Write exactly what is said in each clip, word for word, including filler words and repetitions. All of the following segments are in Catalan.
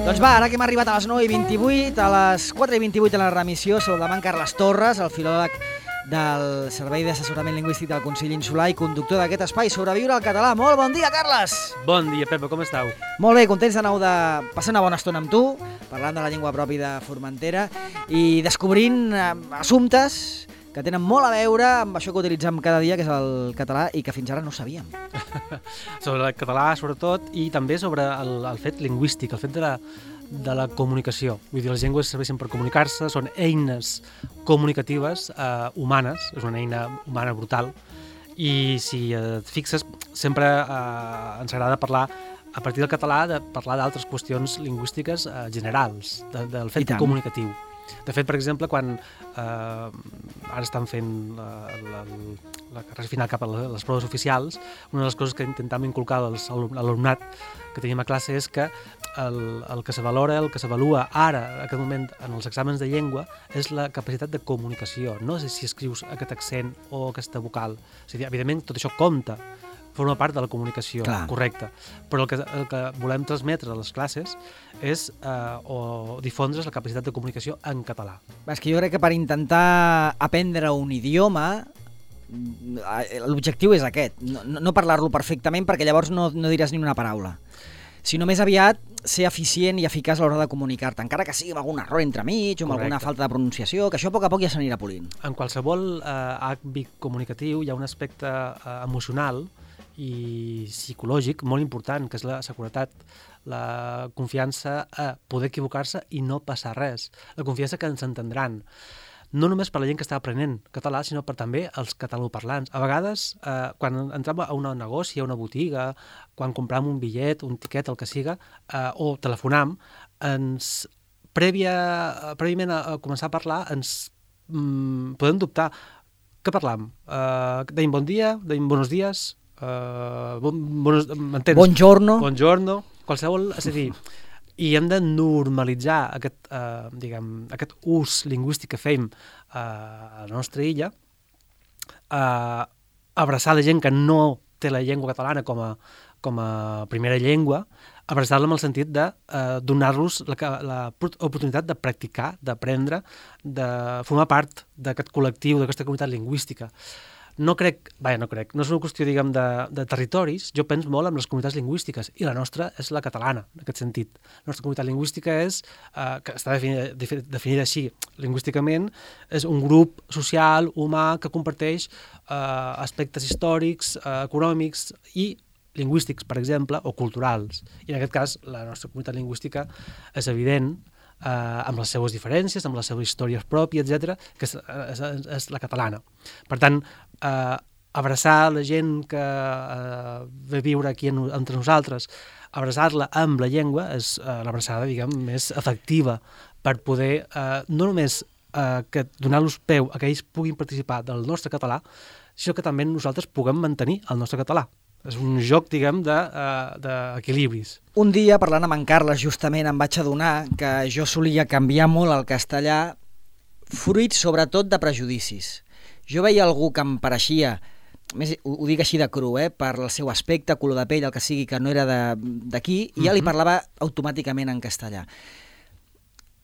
Doncs va, ara que hem arribat a les nou i vint-i-vuit, a les quatre i vint-i-vuit de la remissió, saludem en Carles Torres, el filòleg del Servei d'Assessorament Lingüístic del Consell Insular i conductor d'aquest espai Sobreviure al català. Molt bon dia, Carles! Bon dia, Pepa, com estàu? Molt bé, contents de nou de passar una bona estona amb tu, parlant de la llengua pròpia de Formentera i descobrint eh, assumptes que tenen molt a veure amb això que utilitzem cada dia, que és el català, i que fins ara no sabíem. Sobre el català, sobretot, i també sobre el, el fet lingüístic, el fet de la, de la comunicació. Vull dir, les llengües serveixen per comunicar-se, són eines comunicatives eh, humanes, és una eina humana brutal, i si et fixes, sempre eh, ens agrada parlar, a partir del català, de parlar d'altres qüestions lingüístiques eh, generals, de, del fet comunicatiu. De fet, per exemple, quan eh, ara estan fent la, la, la carrera final cap a les proves oficials, una de les coses que intentem inculcar a l'alumnat que tenim a classe és que el, el que se valora, el que s'avalua ara, en aquest moment, en els exàmens de llengua, és la capacitat de comunicació. No és si escrius aquest accent o aquesta vocal. O sigui, evidentment, tot això compta, forma part de la comunicació Clar. correcta. Però el que, el que volem transmetre a les classes és eh, o difondre's la capacitat de comunicació en català. És que jo crec que per intentar aprendre un idioma, l'objectiu és aquest, no, no parlar-lo perfectament perquè llavors no, no diràs ni una paraula, sinó més aviat ser eficient i eficaç a l'hora de comunicar-te, encara que sigui amb algun error entremig o amb alguna falta de pronunciació, que això a poc a poc ja s'anirà polint. En qualsevol eh, àmbit comunicatiu hi ha un aspecte eh, emocional i psicològic molt important, que és la seguretat, la confiança a poder equivocar-se i no passar res, la confiança que ens entendran. No només per la gent que està aprenent català, sinó per també els catalanoparlants. A vegades, eh, quan entrem a un negoci, a una botiga, quan compram un bitllet, un tiquet, el que siga, eh, o telefonam, ens, prèvia, prèviament a, a començar a parlar, ens mm, podem dubtar. Què parlam? Eh, deim bon dia, deim buenos días, Uh, bon, bonos, m'entens? Buongiorno. Buongiorno, qualsevol, és a dir, i hem de normalitzar aquest, uh, diguem, aquest ús lingüístic que fem uh, a la nostra illa, uh, abraçar la gent que no té la llengua catalana com a, com a primera llengua, abraçar-la amb el sentit de uh, donar-los la, la oportunitat de practicar, d'aprendre, de formar part d'aquest col·lectiu, d'aquesta comunitat lingüística. No crec, vaja, no crec, no és una qüestió, diguem, de, de territoris, jo penso molt en les comunitats lingüístiques, i la nostra és la catalana, en aquest sentit. La nostra comunitat lingüística és, eh, que està definida, definida així lingüísticament, és un grup social, humà, que comparteix eh, aspectes històrics, eh, econòmics i lingüístics, per exemple, o culturals. I en aquest cas, la nostra comunitat lingüística és evident, Eh, amb les seues diferències, amb les seves històries pròpies, etcètera, que és, és, és la catalana. Per tant, eh, abraçar la gent que eh, ve viure aquí en, entre nosaltres, abraçar-la amb la llengua és eh, l'abraçada, diguem, més efectiva per poder, eh, no només eh, que donar-los peu a que ells puguin participar del nostre català, sinó que també nosaltres puguem mantenir el nostre català. És un joc, diguem, d'equilibris. De, uh, un dia, parlant amb en Carles, justament em vaig adonar que jo solia canviar molt el castellà, fruit sobretot de prejudicis. Jo veia algú que em pareixia, més, ho, ho dic així de cru, eh, per el seu aspecte, color de pell, el que sigui, que no era d'aquí, i ja li parlava automàticament en castellà.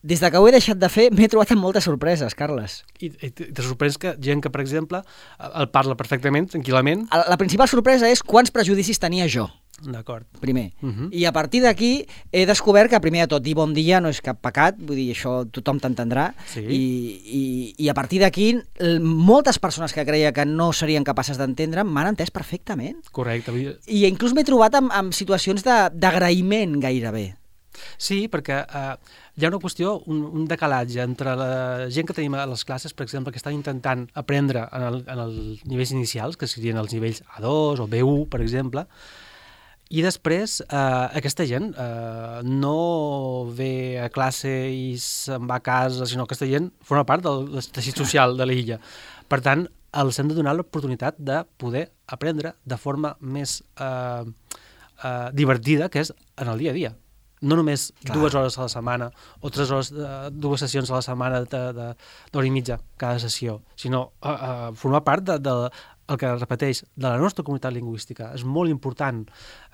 Des de que ho he deixat de fer, m'he trobat amb moltes sorpreses, Carles. I, i te sorprens que gent que, per exemple, el parla perfectament, tranquil·lament... La, la principal sorpresa és quants prejudicis tenia jo. D'acord. Primer. Uh -huh. I a partir d'aquí he descobert que, primer de tot, dir bon dia no és cap pecat, vull dir, això tothom t'entendrà, sí. I, i, i a partir d'aquí moltes persones que creia que no serien capaces d'entendre m'han entès perfectament. Correcte. I inclús m'he trobat amb, amb situacions d'agraïment gairebé. Sí, perquè eh, hi ha una qüestió, un, un decalatge entre la gent que tenim a les classes, per exemple, que estan intentant aprendre en, el, en els nivells inicials, que serien els nivells A dos o B un, per exemple, i després eh, aquesta gent eh, no ve a classe i se'n va a casa, sinó que aquesta gent forma part del teixit social de l'illa. Per tant, els hem de donar l'oportunitat de poder aprendre de forma més eh, eh, divertida, que és en el dia a dia. No només Clar. dues hores a la setmana o tres hores, uh, dues sessions a la setmana d'hora i mitja cada sessió, sinó uh, uh, formar part de, de el que repeteix, de la nostra comunitat lingüística. És molt important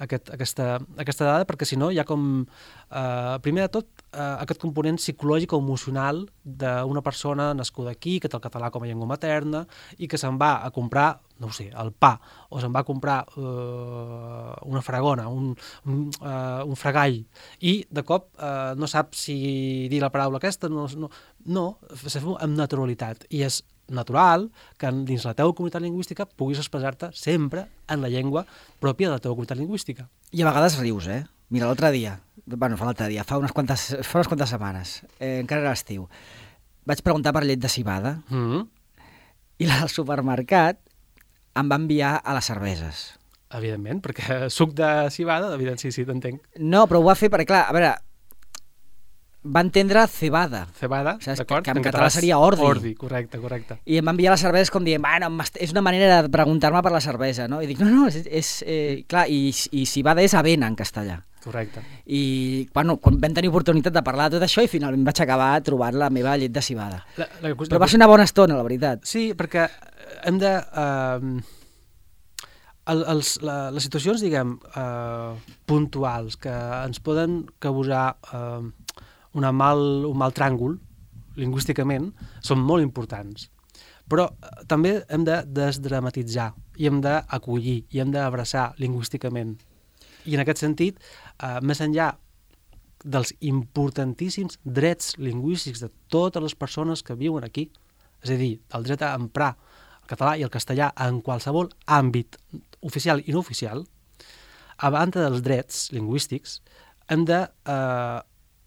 aquest, aquesta, aquesta dada, perquè si no hi ha com, eh, primer de tot, eh, aquest component psicològic o emocional d'una persona nascuda aquí, que té el català com a llengua materna, i que se'n va a comprar, no ho sé, el pa, o se'n va a comprar eh, una fragona, un, un, eh, un fregall, i de cop eh, no sap si dir la paraula aquesta, no, no, no se fa amb naturalitat, i és natural que dins la teva comunitat lingüística puguis expressar-te sempre en la llengua pròpia de la teva comunitat lingüística. I a vegades rius, eh? Mira, l'altre dia, bueno, fa l'altre dia, fa unes quantes, fa unes quantes setmanes, eh, encara era l'estiu, vaig preguntar per llet de civada Mm-hmm. i la del supermercat em va enviar a les cerveses. Evidentment, perquè suc de civada, evident, sí, sí, t'entenc. No, però ho va fer perquè, clar, a veure, va entendre cebada. Cebada, Saps? d'acord? Que en català seria ordi. Ordi, correcte, correcte. I em va enviar les cerveses com dient, bueno, és una manera de preguntar-me per la cervesa, no? I dic, no, no, és... és eh, clar, i, i civada és avena en castellà. Correcte. I, bueno, quan vam tenir oportunitat de parlar de tot això i finalment vaig acabar trobant la meva llet de civada. La, la, la, Però va ser una bona estona, la veritat. Sí, perquè hem de... Uh, el, els, la, les situacions, diguem, uh, puntuals que ens poden causar uh, una mal, un mal tràngol, lingüísticament, són molt importants. Però uh, també hem de desdramatitzar i hem d'acollir i hem d'abraçar lingüísticament. I en aquest sentit, uh, més enllà dels importantíssims drets lingüístics de totes les persones que viuen aquí, és a dir, el dret a emprar el català i el castellà en qualsevol àmbit oficial i no oficial, a banda dels drets lingüístics, hem de eh,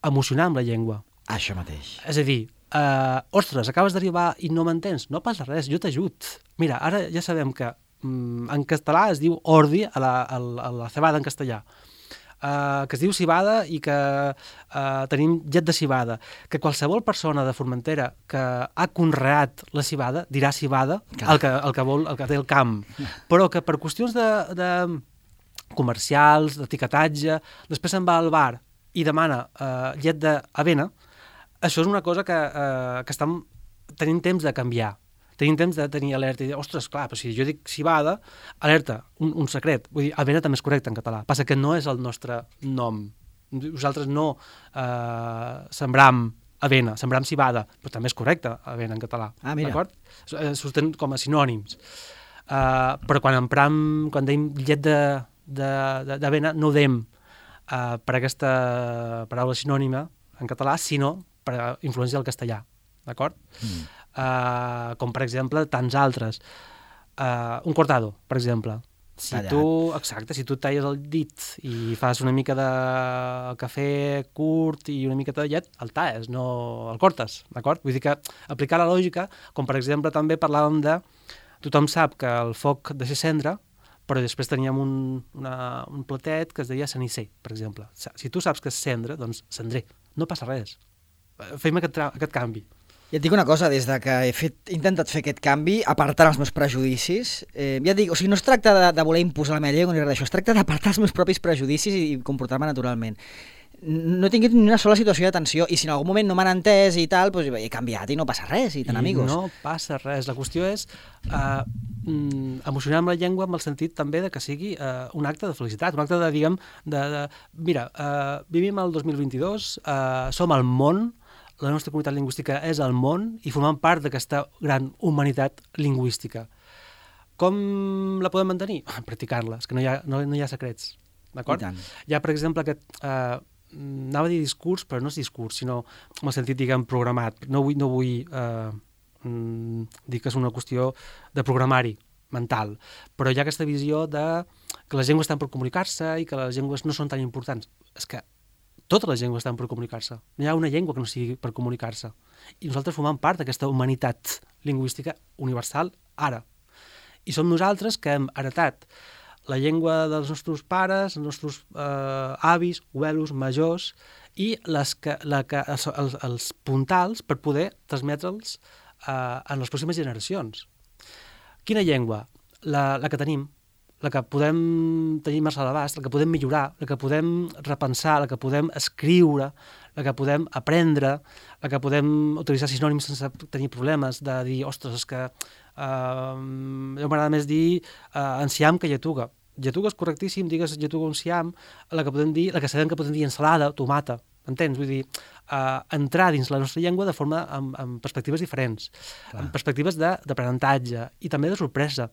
emocionar amb la llengua. Això mateix. És a dir, eh, ostres, acabes d'arribar i no m'entens? No passa res, jo t'ajut. Mira, ara ja sabem que mm, en català es diu ordi a la, a la, a la cebada en castellà. Uh, que es diu civada i que uh, tenim llet de civada, que qualsevol persona de Formentera que ha conreat la civada dirà civada, el que, el que vol, el que té el camp, però que per qüestions de, de comercials, d'etiquetatge, després se'n va al bar i demana uh, llet d'avena, això és una cosa que, uh, que estem tenint temps de canviar. Tenim temps de tenir alerta i dir, ostres, clar, però si jo dic civada, alerta, un, un secret. Vull dir, avena també és correcte en català. Passa que no és el nostre nom. Nosaltres no eh, sembram avena, sembram civada, però també és correcte avena en català. Ah, mira. D'acord? Surten com a sinònims. Uh, però quan empram, quan deim llet d'avena, no ho deim uh, per aquesta paraula sinònima en català, sinó per influència del castellà. D'acord? Mm. Uh, com per exemple tants altres, uh, un cortado, per exemple, si Tallat. tu, exacte, si tu talles el dit i fas una mica de cafè curt i una mica de llet, el talles, no el cortes, d'acord? Vull dir que aplicar la lògica, com per exemple també parlàvem de, tothom sap que el foc deixa cendra, però després teníem un, una, un platet que es deia cenisser, per exemple. Si tu saps que és cendra, doncs cendrer, no passa res. Fem aquest, aquest canvi. Ja et dic una cosa, des de que he, fet, he intentat fer aquest canvi, apartant els meus prejudicis, eh, ja et dic, o sigui, no es tracta de, de voler imposar la meva llengua ni res d'això, es tracta d'apartar els meus propis prejudicis i, i comportar-me naturalment. No he tingut ni una sola situació de tensió i si en algun moment no m'han entès i tal, doncs he canviat i no passa res, i tant, I amigos. no passa res. La qüestió és uh, emocionar amb la llengua amb el sentit també de que sigui uh, un acte de felicitat, un acte de, diguem, de, de mira, uh, vivim el dos mil vint-i-dos, uh, som al món, la nostra comunitat lingüística és al món i formem part d'aquesta gran humanitat lingüística. Com la podem mantenir? Practicant-la, és que no hi ha, no, no hi ha secrets, d'acord? Hi ha, per exemple, aquest... Uh, anava a dir discurs, però no és discurs, sinó en el sentit, diguem, programat. No vull, no vull uh, dir que és una qüestió de programari mental, però hi ha aquesta visió de que les llengües estan per comunicar-se i que les llengües no són tan importants. És que totes les llengües estan per comunicar-se. No hi ha una llengua que no sigui per comunicar-se. I nosaltres formem part d'aquesta humanitat lingüística universal ara. I som nosaltres que hem heretat la llengua dels nostres pares, els nostres eh, avis, abuelos, majors, i les que, la que, els, els, els puntals per poder transmetre'ls eh, en les pròximes generacions. Quina llengua? La, la que tenim, la que podem tenir més a l'abast, la que podem millorar, la que podem repensar, la que podem escriure, la que podem aprendre, la que podem utilitzar sinònims sense tenir problemes, de dir, ostres, és que eh, jo m'agrada més dir eh, enciam que lletuga. Lletuga és correctíssim, digues lletuga o enciam, la que podem dir, la que sabem que podem dir ensalada, tomata, entens? Vull dir, eh, entrar dins la nostra llengua de forma amb, amb perspectives diferents, Clar. amb perspectives d'aprenentatge i també de sorpresa.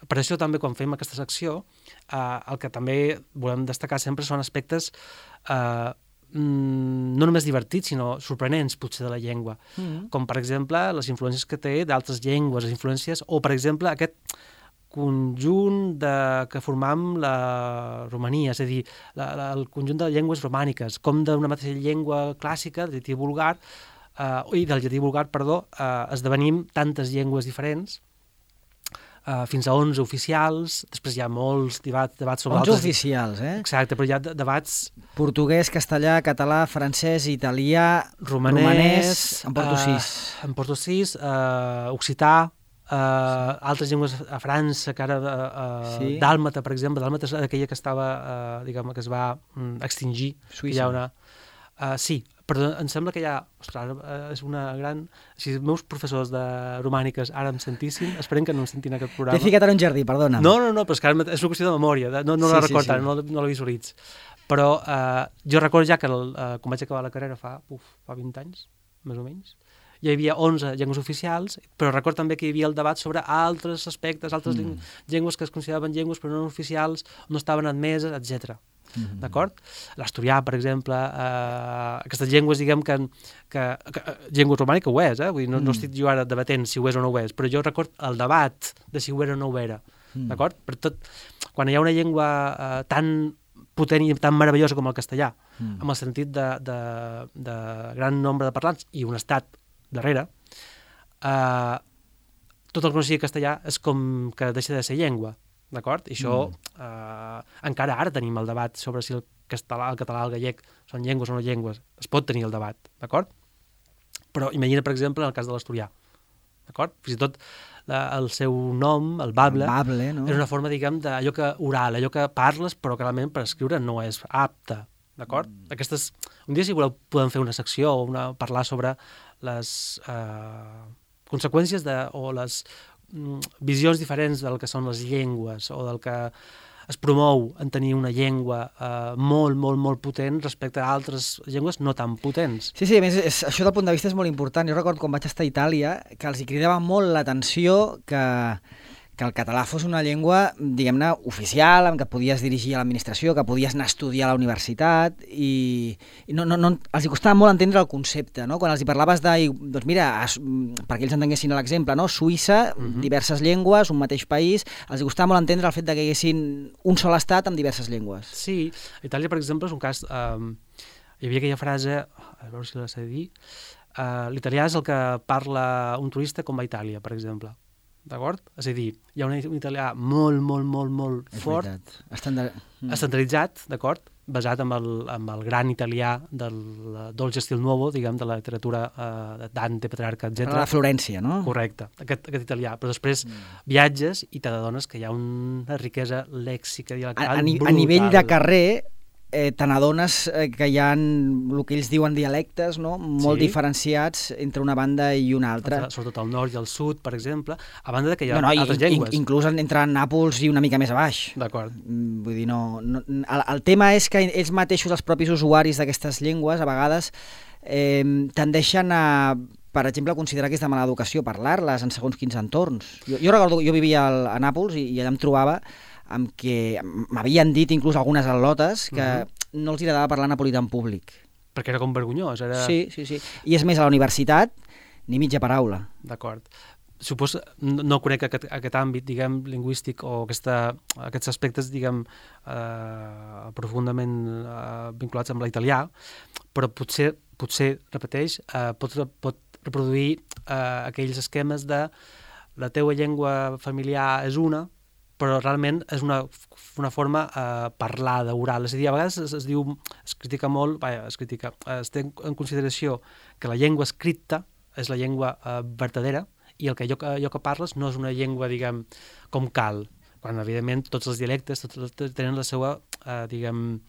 Per això també quan fem aquesta secció eh, el que també volem destacar sempre són aspectes eh, no només divertits, sinó sorprenents potser de la llengua, mm-hmm. com per exemple les influències que té d'altres llengües, les influències, o per exemple aquest conjunt de, que formam la Romania, és a dir, la, la, el conjunt de llengües romàniques, com d'una mateixa llengua clàssica, del llatí vulgar, eh, i del llatí vulgar, perdó, eh, esdevenim tantes llengües diferents, Uh, fins a onze oficials, després hi ha molts debats, debats sobre onze altres... oficials, eh? Exacte, però hi ha debats... Portuguès, castellà, català, francès, italià, romanès... romanès en porto sis. Uh, en porto sis, uh, occità, uh, sí. altres llengües a França, que ara... Uh, sí. Dàlmata, per exemple, dàlmata és aquella que estava, uh, diguem, que es va um, extingir. Suïssa. Hi ha una... Uh, sí, però em sembla que hi ha... Ostres, és una gran... Si els meus professors de romàniques ara em sentissin, esperen que no em sentin aquest programa. T'he ficat en un jardí, perdona. No, no, no, però és que ara és una qüestió de memòria, de, no, no sí, la recordo, sí, sí. no, no la visualitz. Però uh, jo recordo ja que el, uh, quan vaig acabar la carrera fa, uf, fa vint anys, més o menys, hi havia onze llengües oficials, però recordo també que hi havia el debat sobre altres aspectes, altres mm. llengües que es consideraven llengües però no oficials, no estaven admeses, etcètera. Mm-hmm. D'acord? L'asturià, per exemple, eh, aquestes llengües, diguem que, que, que llengua romànica ho és, eh? Vull dir, no, mm. no estic jo ara debatent si ho és o no ho és, però jo record el debat de si ho era o no ho era, mm. d'acord? Per tot, quan hi ha una llengua eh, tan potent i tan meravellosa com el castellà, mm. amb el sentit de, de, de gran nombre de parlants i un estat darrere, eh, tot el que no sigui castellà és com que deixa de ser llengua. D'acord? I això, mm. eh, encara ara tenim el debat sobre si el català, el català, el gallec són llengües o no llengües. Es pot tenir el debat, d'acord? Però imagina, per exemple, en el cas de l'asturià, d'acord? Fins i tot la, el seu nom, el bable, el bable no? és una forma, diguem, d'allò que oral, allò que parles, però que realment per escriure no és apte, d'acord? Mm. Aquestes... Un dia, si voleu, podem fer una secció o una, parlar sobre les eh, conseqüències de, o les visions diferents del que són les llengües o del que es promou en tenir una llengua eh, molt, molt, molt potent respecte a altres llengües no tan potents. Sí, sí, a més, és, això del punt de vista és molt important. Jo recordo quan vaig estar a Itàlia que els hi cridava molt l'atenció que, que el català fos una llengua, diguem-ne, oficial, amb què podies dirigir a l'administració, que podies anar a estudiar a la universitat i, i no, no, no, els hi costava molt entendre el concepte, no? Quan els hi parlaves de, doncs mira, es, perquè ells entenguessin l'exemple, no? Suïssa, uh-huh. diverses llengües, un mateix país, els hi costava molt entendre el fet de que hi haguessin un sol estat amb diverses llengües. Sí, Itàlia, per exemple, és un cas... Um, hi havia aquella frase, a veure si la sé dir, uh, l'italià és el que parla un turista com va a Itàlia, per exemple. D'acord? És a dir, hi ha un, un italià molt, molt, molt, molt és fort, Estandard... mm. estandarditzat, d'acord? Basat en el, en el gran italià del Dolce Stil Nuovo, diguem, de la literatura eh, de Dante, Petrarca, etcètera. La Florència, no? Correcte, aquest, aquest italià. Però després mm. viatges i t'adones que hi ha una riquesa lèxica dialectal a, a, ni, brutal. A nivell de carrer, eh, te n'adones eh, que hi ha el que ells diuen dialectes, no? Molt sí. diferenciats entre una banda i una altra. Sobretot al nord i al sud, per exemple, a banda de que hi ha no, no, altres in, llengües. In, inclús entre Nàpols i una mica més a baix. D'acord. Vull dir, no, no, el, el tema és que ells mateixos, els propis usuaris d'aquestes llengües, a vegades eh, tendeixen a, per exemple, considerar que és de mala educació parlar-les en segons quins entorns. Jo, jo recordo, jo vivia al, a Nàpols i, i allà em trobava amb què m'havien dit inclús algunes al·lotes que uh-huh. no els agradava parlar napolità en públic. Perquè era com vergonyós. Era... Sí, sí, sí. I és més, a la universitat, ni mitja paraula. D'acord. Suposo, no, no conec aquest, aquest àmbit, diguem, lingüístic o aquesta, aquests aspectes, diguem, eh, profundament eh, vinculats amb l'italià, però potser, potser repeteix, eh, pot, pot reproduir eh, aquells esquemes de la teua llengua familiar és una, però realment és una, una forma eh, parlada, oral. És a dir, a vegades es, es diu, es critica molt, vaja, es critica, es té en consideració que la llengua escrita és la llengua eh, verdadera i el que allò, allò que parles no és una llengua, diguem, com cal. quan, evidentment, tots els dialectes tots tenen la seva, eh, diguem,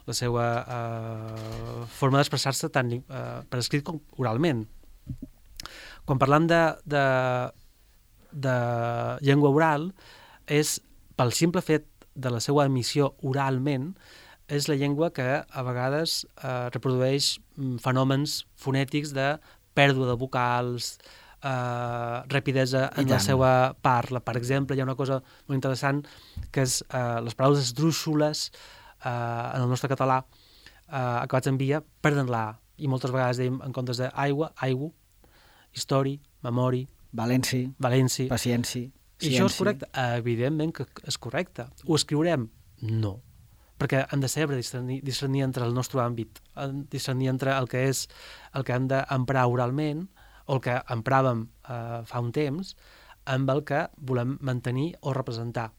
la seva eh, forma d'expressar-se tant eh, per escrit com oralment. Quan parlam de, de, de llengua oral, és pel simple fet de la seva emissió oralment, és la llengua que a vegades eh, reprodueix fenòmens fonètics de pèrdua de vocals, eh, rapidesa en la seva parla. Per exemple, hi ha una cosa molt interessant que és eh, les paraules esdrúixoles eh, en el nostre català eh, acabats en via perden la A, i moltes vegades dèiem en comptes d'aigua, aigua, histori, memori, Valenci, valenci. pacienci, I això és correcte? Evidentment que és correcte. Ho escriurem? No. Perquè hem de saber discernir, discernir entre el nostre àmbit, discernir entre el que és el que hem d'emprar oralment o el que empràvem eh, fa un temps amb el que volem mantenir o representar.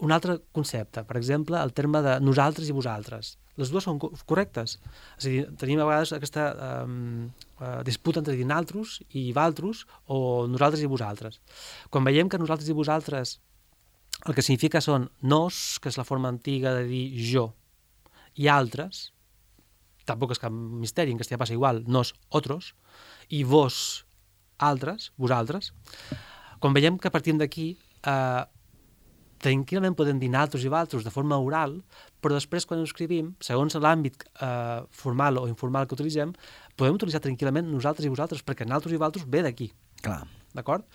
Un altre concepte, per exemple, el terme de nosaltres i vosaltres. Les dues són correctes. És a dir, tenim a vegades aquesta eh, disputa entre dir naltros i valtros o nosaltres i vosaltres. Quan veiem que nosaltres i vosaltres el que significa són nos, que és la forma antiga de dir jo, i altres, tampoc és cap misteri, en castellà passa igual, nos, otros, i vos, altres, vosaltres. Quan veiem que partim d'aquí, eh, tranquil·lament podem dir naltros i valtros de forma oral, però després quan ho escrivim, segons l'àmbit eh, formal o informal que utilitzem, podem utilitzar tranquil·lament nosaltres i vosaltres, perquè naltros i valtros ve d'aquí. Clar. D'acord?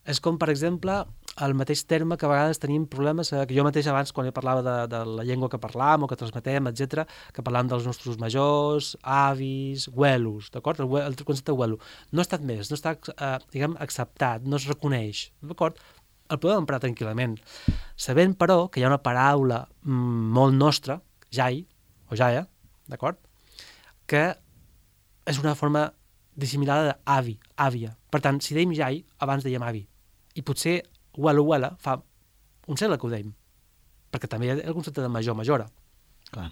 És com, per exemple, el mateix terme que a vegades tenim problemes, eh, que jo mateix abans, quan parlava de, de la llengua que parlam o que transmetem, etcètera, que parlam dels nostres majors, avis, güelos, d'acord? El, el concepte de güelo no ha estat més, no està, eh, diguem, acceptat, no es reconeix, d'acord? El podem emprar tranquil·lament, sabent, però, que hi ha una paraula mm, molt nostra, jai, o jaia, d'acord? Que és una forma dissimilada d'avi, àvia. Per tant, si dèiem jai, abans dèiem avi. I potser huela, huela, fa un segle que ho dèiem, perquè també hi ha el concepte de major, majora. Clar.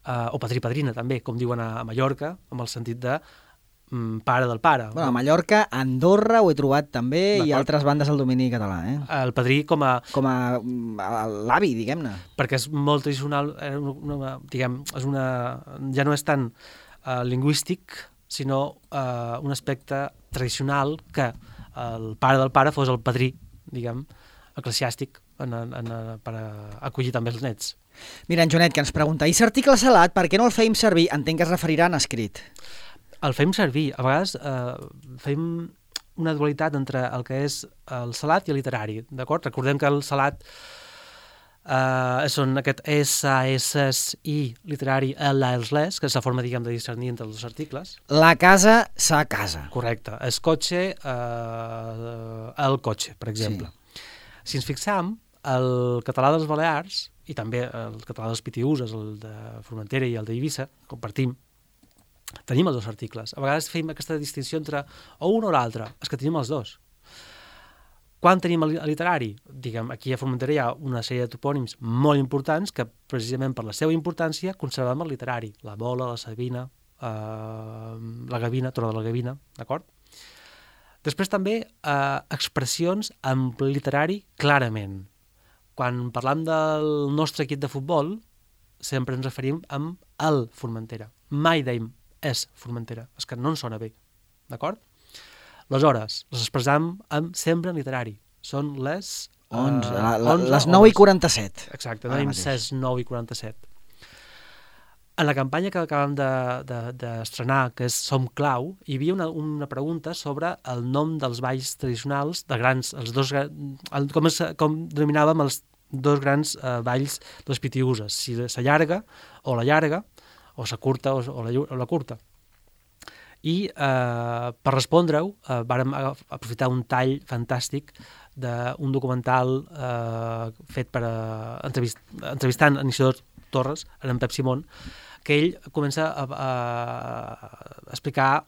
Uh, o padrí, padrina, també, com diuen a, a Mallorca, amb el sentit de mm, pare del pare. Bueno, a Mallorca, a Andorra ho he trobat també i altres bandes del domini català. Eh? El padrí com a... Com a, a l'avi, diguem-ne. Perquè és molt tradicional, una, una, diguem, és una, ja no és tan uh, lingüístic, sinó uh, un aspecte tradicional que el pare del pare fos el padrí, diguem, eclesiàstic en, en, en, per acollir també els nets. Mira, en Joanet, que ens pregunta, i l'article salat, per què no el feim servir? Entenc que es referirà en escrit. El feim servir. A vegades eh, feim una dualitat entre el que és el salat i el literari, d'acord? Recordem que el salat Uh, són aquest S, S, I, literari, L, els les, que és la forma, diguem, de discernir entre els dos articles. La casa, sa casa. Correcte. El cotxe, uh, el cotxe, per exemple. Sí. Si ens fixam, el català dels Balears, i també el català dels Pitiüses, el de Formentera i el d'Eivissa, compartim, tenim els dos articles. A vegades fem aquesta distinció entre o un o l'altre, és que tenim els dos. Quan tenim el literari? Diguem, aquí a Formentera hi ha una sèrie de topònims molt importants que, precisament per la seva importància, conservem el literari. La Mola, la Sabina, eh, la Gavina, Torre de la Gavina, d'acord? Després també eh, expressions amb literari clarament. Quan parlam del nostre equip de futbol, sempre ens referim amb el Formentera. Mai deim és Formentera, és que no ens sona bé, d'acord? Aleshores, les expressam amb sempre en literari. Són les... onze, uh, la, la, les nou i quaranta-set. Exacte, tenim ses, nou i quaranta-set. En la campanya que acabem d'estrenar, de, de que és Som Clau, hi havia una, una pregunta sobre el nom dels balls tradicionals, de grans, els dos, el, com, es, com denominàvem els dos grans uh, balls de les Pitiüses, si la llarga o la llarga, o la curta o, o, la, o la curta. I eh, per respondre-ho eh, vàrem aprofitar un tall fantàstic d'un documental eh, fet per uh, entrevist, entrevistant en Isidor Torres, en Pep Simón, que ell comença a, a, a explicar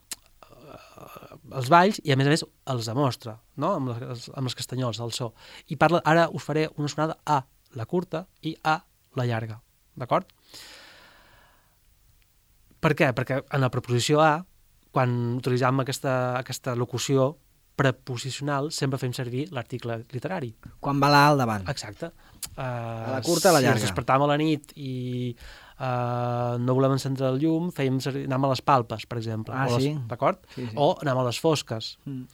els balls i a més a més els demostra, no? amb, les, amb els castanyols, el so. I parla, ara us faré una sonada a la curta i a la llarga, d'acord? Per què? Perquè en la preposició a, quan utilitzam aquesta, aquesta locució, preposicional sempre fem servir l'article literari. Quan va la A al davant. Exacte. Uh, a la curta, a la llarga. Si ens despertàvem a la nit i uh, no volem encendre el llum, fèiem servir, anàvem a les palpes, per exemple. Ah, o les, sí? D'acord? Sí, sí. O anàvem a les fosques. Mm.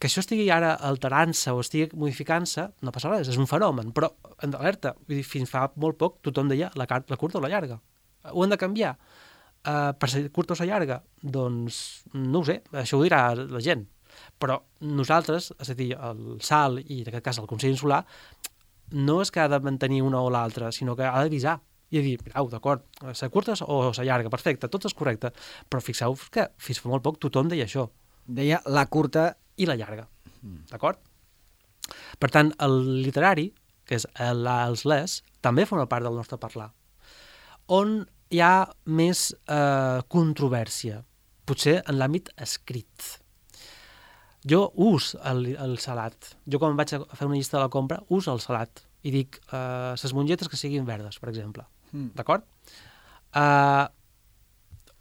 Que això estigui ara alterant-se o estigui modificant-se, no passa res, és un fenomen, però en alerta, vull dir, fins fa molt poc tothom deia la, la curta o la llarga. Ho hem de canviar. Uh, per ser curta o ser llarga? Doncs no ho sé, això ho dirà la gent. Però nosaltres, és a dir, el S A L i en aquest cas el Consell Insular, no és que ha de mantenir una o l'altra, sinó que ha d'avisar i dir, mirau, d'acord, ser curta o ser llarga, perfecte, tot és correcte, però fixeu-vos que fins fa molt poc tothom deia això. Deia la curta i la llarga, mm. d'acord? Per tant, el literari, que és el, els les, també forma part del nostre parlar. On hi ha més eh, controvèrsia? Potser en l'àmbit escrit. Jo ús el, el salat. Jo quan vaig a fer una llista de la compra, ús el salat. I dic, eh, ses mongetes que siguin verdes, per exemple. Mm. D'acord? Eh,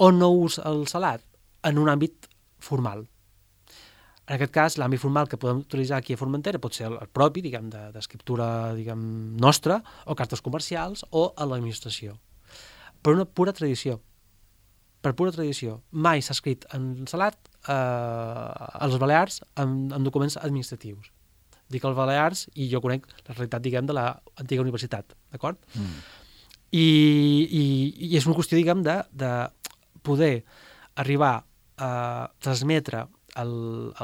on no ús el salat? En un àmbit formal. En aquest cas, l'àmbit formal que podem utilitzar aquí a Formentera pot ser el, el propi, diguem, d'escriptura, diguem, nostra, o cartes comercials, o a l'administració. Per una pura tradició. Per pura tradició. Mai s'ha escrit en salat eh, a les Balears en, en documents administratius. Dic els Balears i jo conec la realitat, diguem, de l'antiga universitat, d'acord? Mm. I, i, I és una qüestió, diguem, de, de poder arribar a transmetre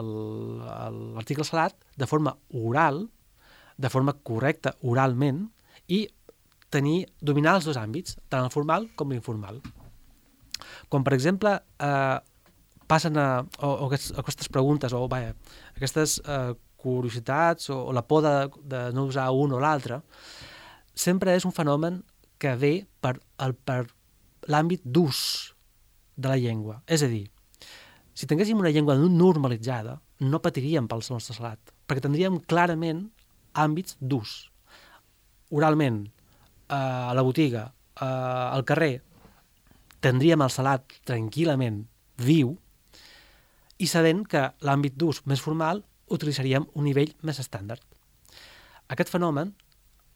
l'article salat de forma oral, de forma correcta oralment, i tenir, dominar els dos àmbits, tant el formal com l'informal. Quan, per exemple, eh, passen a, o, o aquestes preguntes, o vaja, aquestes eh, curiositats, o, o la por de, de no usar un o l'altre, sempre és un fenomen que ve per, el, per l'àmbit d'ús de la llengua. És a dir, si tinguéssim una llengua normalitzada, no patiríem pel nostre salat, perquè tindríem clarament àmbits d'ús. Oralment, eh, a la botiga, eh, al carrer, tindríem el salat tranquil·lament viu i sabent que l'àmbit d'ús més formal utilitzaríem un nivell més estàndard. Aquest fenomen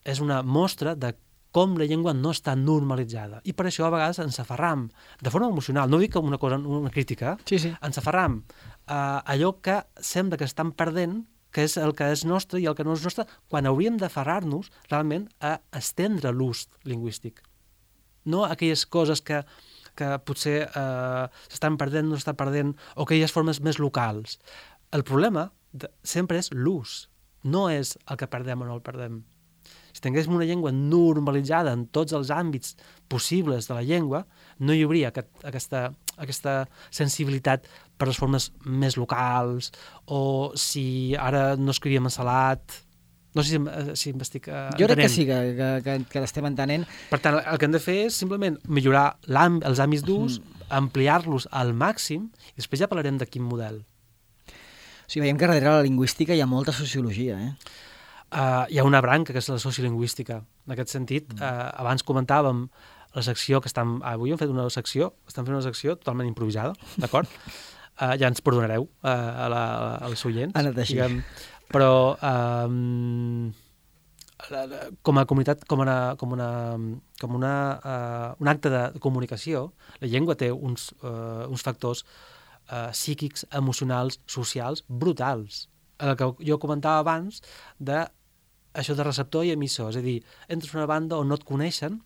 és una mostra de com la llengua no està normalitzada. I per això a vegades ens aferram, de forma emocional, no dic com una cosa, una crítica, sí, sí. ens aferram a allò que sembla que estan perdent, que és el que és nostre i el que no és nostre, quan hauríem d'aferrar-nos realment a estendre l'ús lingüístic. No aquelles coses que, que potser eh, s'estan perdent, no s'estan perdent, o aquelles formes més locals. El problema de, sempre és l'ús, no és el que perdem o no el perdem. Si tinguéssim una llengua normalitzada en tots els àmbits possibles de la llengua, no hi hauria aquest, aquesta, aquesta sensibilitat per les formes més locals, o si ara no escrivíem en salat. No sé si, si m'estic uh, entenent. Jo crec que sí, que, que, que, que l'estem entenent. Per tant, el que hem de fer és simplement millorar els àmbits d'ús, mm. ampliar-los al màxim, i després ja parlarem de quin model. O sigui, veiem que darrere la lingüística hi ha molta sociologia, eh? Uh, hi ha una branca, que és la sociolingüística. En aquest sentit, uh, abans comentàvem la secció que estem... Avui hem fet una secció, estem fent una secció totalment improvisada, d'acord? Uh, ja ens perdonareu uh, a la, als oients. Ha anat així. Diguem, però um, com a comunitat, com, una, com, una, com una, uh, un acte de comunicació, la llengua té uns, uh, uns factors uh, psíquics, emocionals, socials, brutals. El que jo comentava abans de això de receptor i emissor, és a dir, entres en una banda on no et coneixen,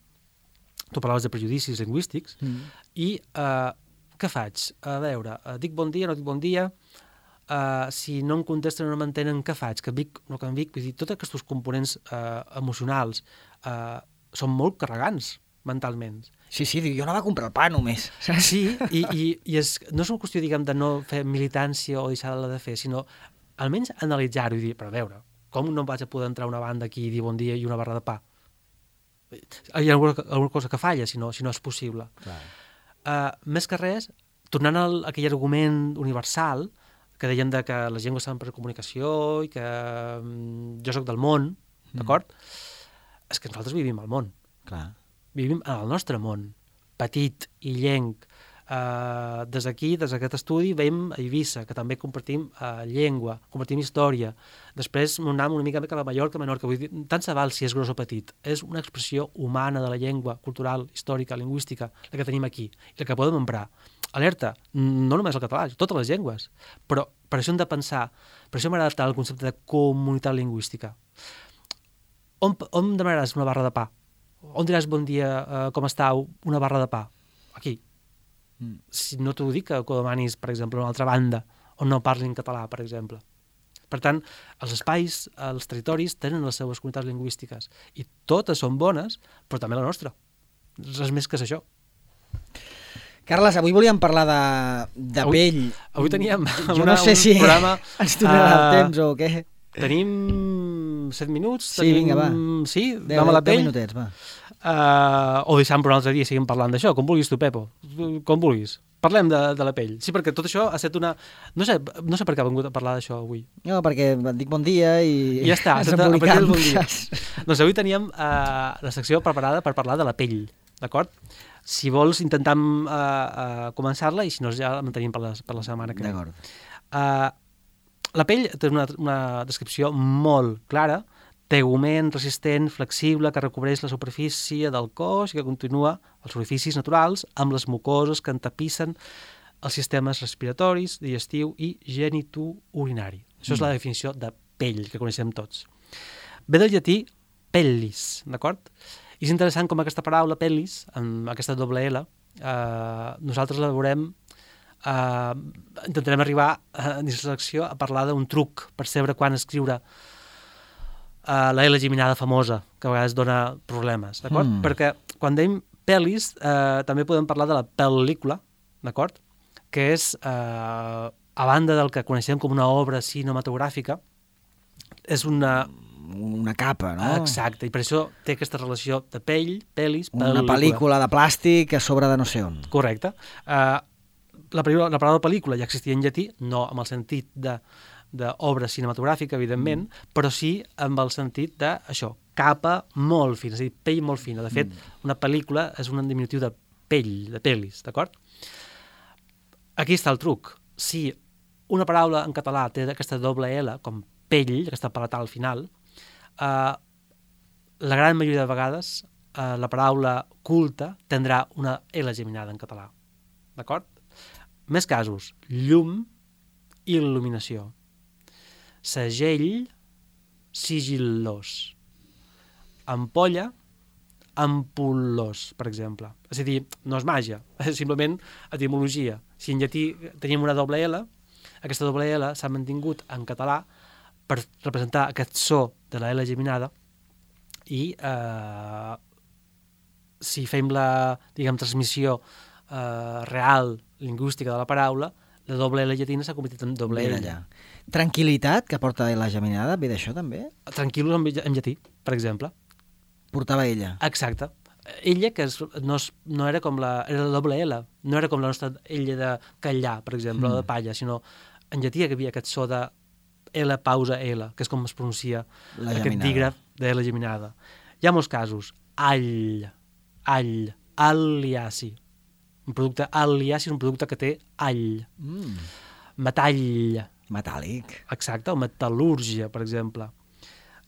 tu parlaves de prejudicis lingüístics, mm. i uh, què faig? A veure, uh, dic bon dia, no dic bon dia, uh, si no em contesten o no m'entenen, què faig? Que vic, no que em vic? Vull dir, tots aquests components uh, emocionals uh, són molt carregants mentalment. Sí, sí, jo anava a comprar el pa només. Sí, i, i, i és, no és una qüestió, diguem, de no fer militància o deixar-la de fer, sinó almenys analitzar-ho i dir, però a veure, com no vaig a poder entrar a una banda aquí i dir bon dia i una barra de pa? Hi ha alguna, alguna cosa que falla, si no, si no és possible. Uh, més que res, tornant a aquell argument universal que deien de que les llengües són per comunicació i que um, jo sóc del món, mm. d'acord? És que nosaltres vivim al món. Clar. Vivim en el nostre món, petit, illenc, Uh, des d'aquí, des d'aquest estudi, veiem a Eivissa, que també compartim uh, llengua, compartim història. Després anem una mica cap a Mallorca, Menorca. Vull dir, tant se val si és gros o petit. És una expressió humana de la llengua, cultural, històrica, lingüística, la que tenim aquí, i la que podem emprar. Alerta, no només el català, totes les llengües. Però per això hem de pensar, per això m'agrada tant el concepte de comunitat lingüística. On, on demanaràs una barra de pa? On diràs bon dia, uh, com estàu, una barra de pa? Aquí. Mm. Si no t'ho dic, que ho demanis, per exemple, a una altra banda, on no parlin català, per exemple. Per tant, els espais, els territoris, tenen les seves comunitats lingüístiques i totes són bones, però també la nostra. Res més que és això. Carles, avui volíem parlar de, de avui, pell. Avui teníem jo una, no sé un si programa... ens donarà uh, el temps o què. Tenim set minuts. Sí, tenim, vinga, va. Sí, deu, vam a la pell. deu minutets, va. Uh, o deixem per un altre dia i seguim parlant d'això, com vulguis tu, Pepo, com vulguis. Parlem de, de la pell. Sí, perquè tot això ha estat una... No sé, no sé per què ha vengut a parlar d'això avui. No, perquè et dic bon dia i... I ja està, ens a partir del bon dia. Saps? Doncs avui teníem uh, la secció preparada per parlar de la pell, d'acord? Si vols, intentem uh, uh, començar-la i si no, ja la mantenim per la, per la setmana que ve. D'acord. Uh, la pell té una, una descripció molt clara, tegument, resistent, flexible, que recobreix la superfície del cos i que continua els orificis naturals amb les mucoses que entapissen els sistemes respiratoris, digestiu i genitourinari. Això mm. és la definició de pell, que coneixem tots. Ve del llatí pellis, d'acord? I és interessant com aquesta paraula pellis, amb aquesta doble L, eh, nosaltres la veurem, eh, intentarem arribar a dins la secció a parlar d'un truc per saber quan escriure Uh, la L geminada famosa, que a vegades dona problemes, d'acord? Mm. Perquè quan dèiem pel·lis, uh, també podem parlar de la pel·lícula, d'acord? Que és, uh, a banda del que coneixem com una obra cinematogràfica, és una... Una capa, no? Exacte, i per això té aquesta relació de pell, pel·lis, pel·lícula. Una pel·lícula de plàstic a sobre de no sé on. Correcte. Uh, la, la paraula pel·lícula ja existia en llatí, no amb el sentit de d'obra cinematogràfica, evidentment, mm. però sí amb el sentit d'això, capa molt fina, és a dir, pell molt fina. De fet, mm. una pel·lícula és un diminutiu de pell, de pel·lis, d'acord? Aquí està el truc. Si una paraula en català té aquesta doble L, com pell, aquesta palatal al final, eh, la gran majoria de vegades eh, la paraula culta tindrà una L geminada en català, d'acord? Més casos, llum i il·luminació. Segell, sigil·lós. Ampolla, ampullós, per exemple. És a dir, no és màgia, és simplement etimologia. Si en llatí teníem una doble L, aquesta doble L s'ha mantingut en català per representar aquest so de la L geminada i eh, si fem la, diguem, transmissió eh, real, lingüística de la paraula, la doble L llatina s'ha convertit en doble L. Allà. Tranquil·litat, que porta la geminada, ve d'això també? Tranquil·los en, en llatí, per exemple. Portava ella. Exacte. Ella, que és, no, és, no era com la... Era la doble L, no era com la nostra ella de callar, per exemple, mm. o de palla, sinó en llatí hi havia aquest so de L pausa L, que és com es pronuncia la aquest geminada. Dígraf de L geminada. Hi ha molts casos. All, all, al·liaci. Un producte al·liaci és un producte que té all. Mm. Metall. Metàl·lic. Exacte, o metal·lúrgia, per exemple.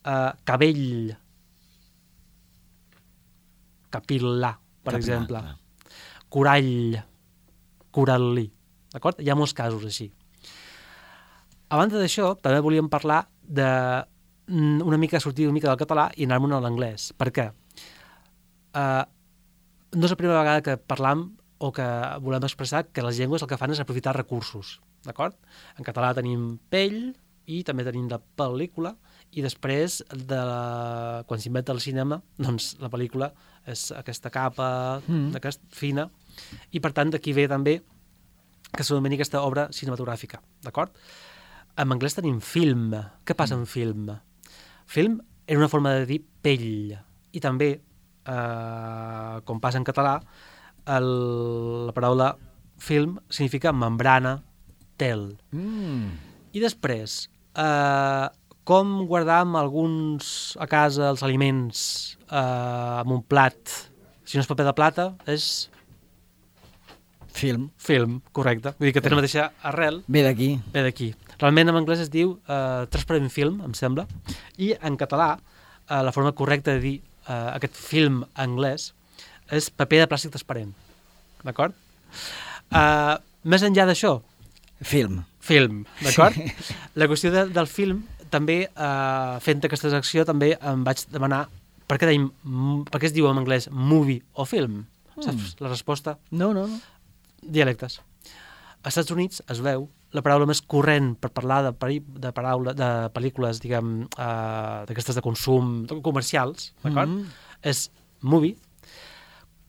Uh, cabell. Capil·là, per Capil·là, exemple. Clar. Corall. Coral·lí. D'acord? Hi ha molts casos així. A banda d'això, també volíem parlar de una mica sortir una mica del català i anar-me'n a l'anglès. Per què? Uh, no és la primera vegada que parlam o que volem expressar que les llengües el que fan és aprofitar recursos, d'acord? En català tenim pell i també tenim la pel·lícula i després, de la... quan s'inventa el cinema, doncs la pel·lícula és aquesta capa mm. aquesta fina i per tant d'aquí ve també que s'anomeni aquesta obra cinematogràfica, d'acord? En anglès tenim film. Què passa mm. en film? Film era una forma de dir pell i també, eh, com passa en català, El, la paraula film significa membrana, tel. Mm. I després, eh, com guardam alguns a casa els aliments eh, en un plat? Si no és paper de plata, és... Film. Film, correcte. Vull dir que té la mateixa arrel. Ve d'aquí. Ve d'aquí. Realment en anglès es diu uh, transparent film, em sembla, i en català uh, la forma correcta de dir uh, aquest film anglès és paper de plàstic transparent. D'acord? Uh, més enllà d'això, Film. film, d'acord? Sí. La qüestió de, del film, també, uh, fent aquesta secció, també em vaig demanar per què, deim, per què es diu en anglès movie o film? Mm. Saps la resposta? No, no, no. Dialectes. Als Estats Units es veu la paraula més corrent per parlar de, peri, de, paraula, de pel·lícules, diguem, uh, d'aquestes de consum comercials, d'acord? Mm-hmm. És movie.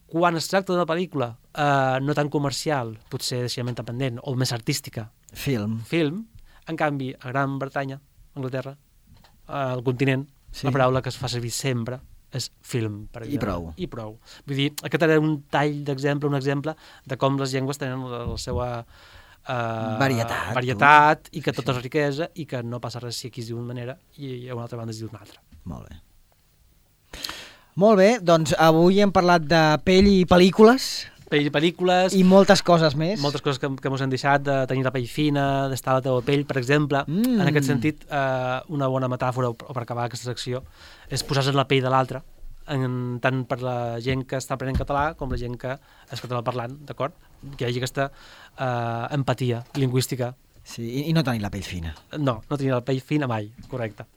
Quan es tracta d'una pel·lícula uh, no tan comercial, potser deixament independent o més artística, Film. film, en canvi, a Gran Bretanya, Anglaterra, uh, al continent, sí. La paraula que es fa servir sempre és film, per exemple. I prou. I prou. Vull dir, aquest era un tall d'exemple, un exemple de com les llengües tenen la, la seva uh, varietat, varietat i que tot és riquesa i que no passa res si aquí es diu d'una manera i a una altra banda es diu d'una altra. Molt bé. Molt bé, doncs avui hem parlat de pell i pel·lícules. Pell i pel·lícules. I moltes coses més. Moltes coses que, que mos han deixat, de tenir la pell fina, d'estar a la teva pell, per exemple. Mm. En aquest sentit, eh, una bona metàfora, o per acabar aquesta secció, és posar-se en la pell de l'altre, tant per la gent que està aprenent català com la gent que és català parlant, d'acord? Que hi hagi aquesta eh, empatia lingüística. Sí, i, i no tenir la pell fina. No, no tenir la pell fina mai, correcte.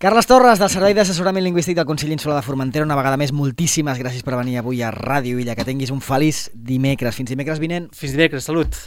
Carles Torres, del Servei d'Assessorament Lingüístic del Consell Insular de Formentera, una vegada més, moltíssimes gràcies per venir avui a Ràdio Illa. Que tinguis un feliç dimecres. Fins dimecres vinent. Fins dimecres, salut.